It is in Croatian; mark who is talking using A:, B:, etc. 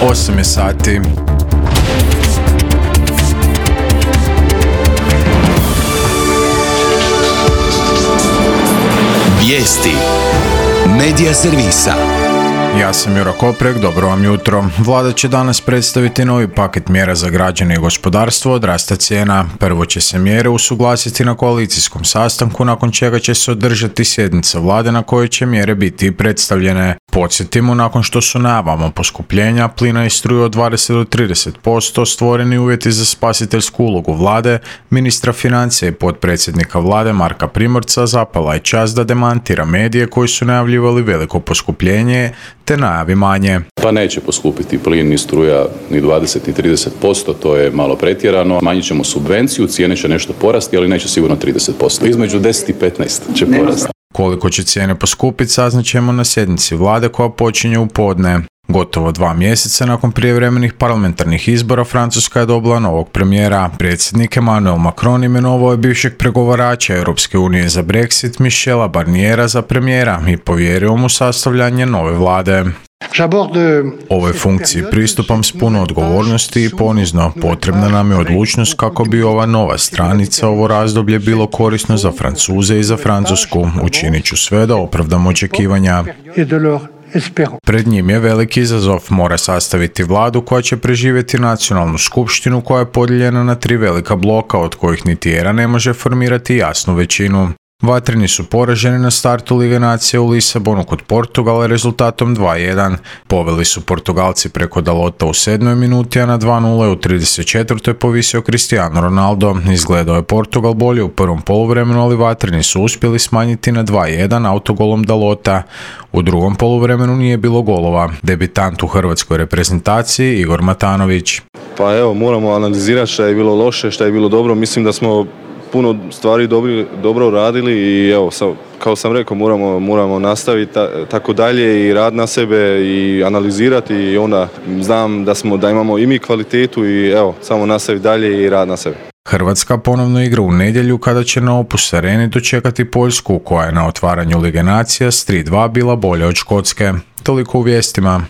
A: 8 je sati.
B: Vijesti Medija servisa.
A: Ja sam Juro Koprek, dobro vam jutro. Vlada će danas predstaviti novi paket mjera za građane i gospodarstvo od rasta cijena. Prvo će se mjere usuglasiti na koalicijskom sastanku, nakon čega će se održati sjednica vlade na kojoj će mjere biti predstavljene. Podsjetimo, nakon što su najavama poskupljenja plina i struje od 20 do 30% stvoreni uvjeti za spasiteljsku ulogu vlade, ministra financija i potpredsjednika vlade Marka Primorca zapala je čast da demantira medije koji su najavljivali veliko poskupljenje te najavi manje.
C: Pa neće poskupiti plin ni struja ni 20 ni 30%, to je malo pretjerano. Manjit ćemo subvenciju, cijene će nešto porasti, ali neće sigurno 30%. Između 10 i 15 će porasti.
A: Koliko će cijene poskupiti saznaćemo na sjednici vlade koja počinje u podne. Gotovo 2 mjeseca nakon prijevremenih parlamentarnih izbora Francuska je dobila novog premijera. Predsjednik Emmanuel Macron imenovao je bivšeg pregovarača Europske unije za Brexit Michela Barniera za premijera i povjerio mu sastavljanje nove vlade. Ovoj funkciji pristupam s puno odgovornosti i ponizno. Potrebna nam je odlučnost kako bi ova nova stranica, ovo razdoblje bilo korisno za Francuze i za Francusku. Učinit ću sve da opravdam očekivanja. Pred njim je veliki izazov, mora sastaviti vladu koja će preživjeti nacionalnu skupštinu koja je podijeljena na 3 velika bloka, od kojih niti jedan ne može formirati jasnu većinu. Vatreni su poraženi na startu Lige nacija u Lisabonu kod Portugala rezultatom 2:1. Poveli su Portugalci preko Dalota u 7. minuti, a na 2:0 u 34. povisio Cristiano Ronaldo. Izgledao je Portugal bolje u prvom poluvremenu, ali vatreni su uspjeli smanjiti na 2:1 autogolom Dalota. U drugom poluvremenu nije bilo golova. Debitant u hrvatskoj reprezentaciji Igor Matanović.
D: Pa evo, moramo analizirati šta je bilo loše, šta je bilo dobro. Mislim da smo puno stvari dobro uradili i evo, kao sam rekao, moramo nastaviti tako dalje i rad na sebe i analizirati i onda znam da imamo i mi kvalitetu i evo, samo nastaviti dalje i rad na sebe.
A: Hrvatska ponovno igra u nedjelju kada će na Opus Areni dočekati Poljsku, koja je na otvaranju Lige nacija s 3:2 bila bolja od Škotske. Toliko u vijestima.